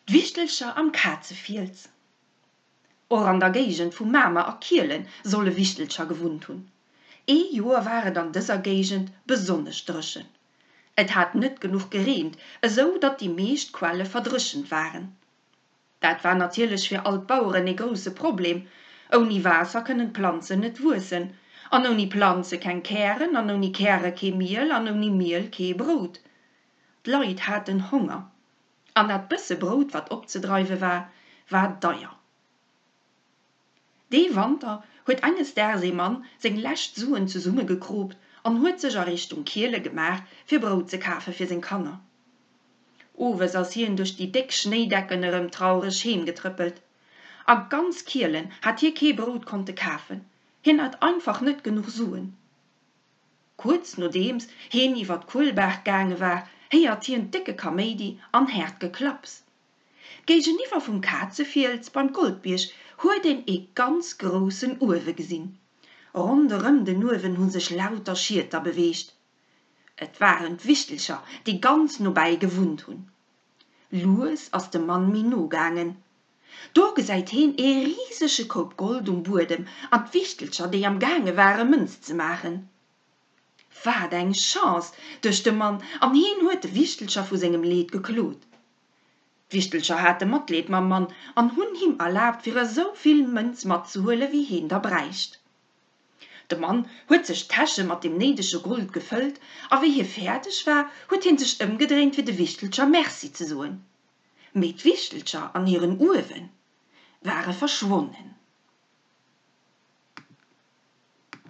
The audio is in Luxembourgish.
D'Wichtelcher am Kazefiels. Och an der Géigend vu Mamer a Kielen solle Wichtelcher gewunnt hunn. Ee Joer war et an dëser Géigend besonnesch dréchen. Et hat net genuch gereent, esou datt déi meescht Quelle verdréchent waren. Dat war natierlech fir all d'Baueren ee grousse Problem, Ouni Waasser kënnen d'Planzen net wuessen, an ouni Planze keng Kären, an ouni Käre kee Miel, an ouni Miel kee Brout. D'Leit haten Honger. An dat bësse Brout, wat opzedreiwe war, war deier. Dee Wanter huet enges Daags ee Mann seng lescht Suen zesummegekroopt an huet sech a Richtung Kiele gemaach, fir Brout ze kafe fir seng Kanner. Owes ass hien duerch déi déck Schnéidecken erëm traureg heemgetrëppelt. A ganz Kielen hat hie kee Brout konnte kafen, hien hat einfach net genuch Suen. Kuerz nodeems heen iwwer d'Kuelbaach gaange war, héiert hien décke Kaméidi an haart Geklapps. Géigeniwwer vum Kazefiels beim Goldbierg huet een ee ganz groussen Uewe gesinn. Ronderëm den Uewen hu sech lauter Schieter beweegt. Et waren d'Wichtelcher, déi ganz nobäi gewunnt hunn. Lues ass de Mann méi no gaangen. Do gesäit heen ee risege Koup Gold um Buedem an d'Wichtelcher, déi am gaange ware Mënz ze maachen. Wat eng Chance, duecht de Mann, an heen huet de Wichtelcher vu sengem Leed geklot. D'Wichtelcher hate Matleed mam Mann an hunn him erlaabt, fir esou vill Mënz matzehuele wéi heen der bräicht. De Mann huet sech d'Täsche mat deem néidege Gold gefëllt a wéi hie fäerdeg war, huet hien sech ëmgedréint fir de Wichtelcher Merci ze soen. Mee d'Wichtelcher an hiren Uewe ware verschwonnen.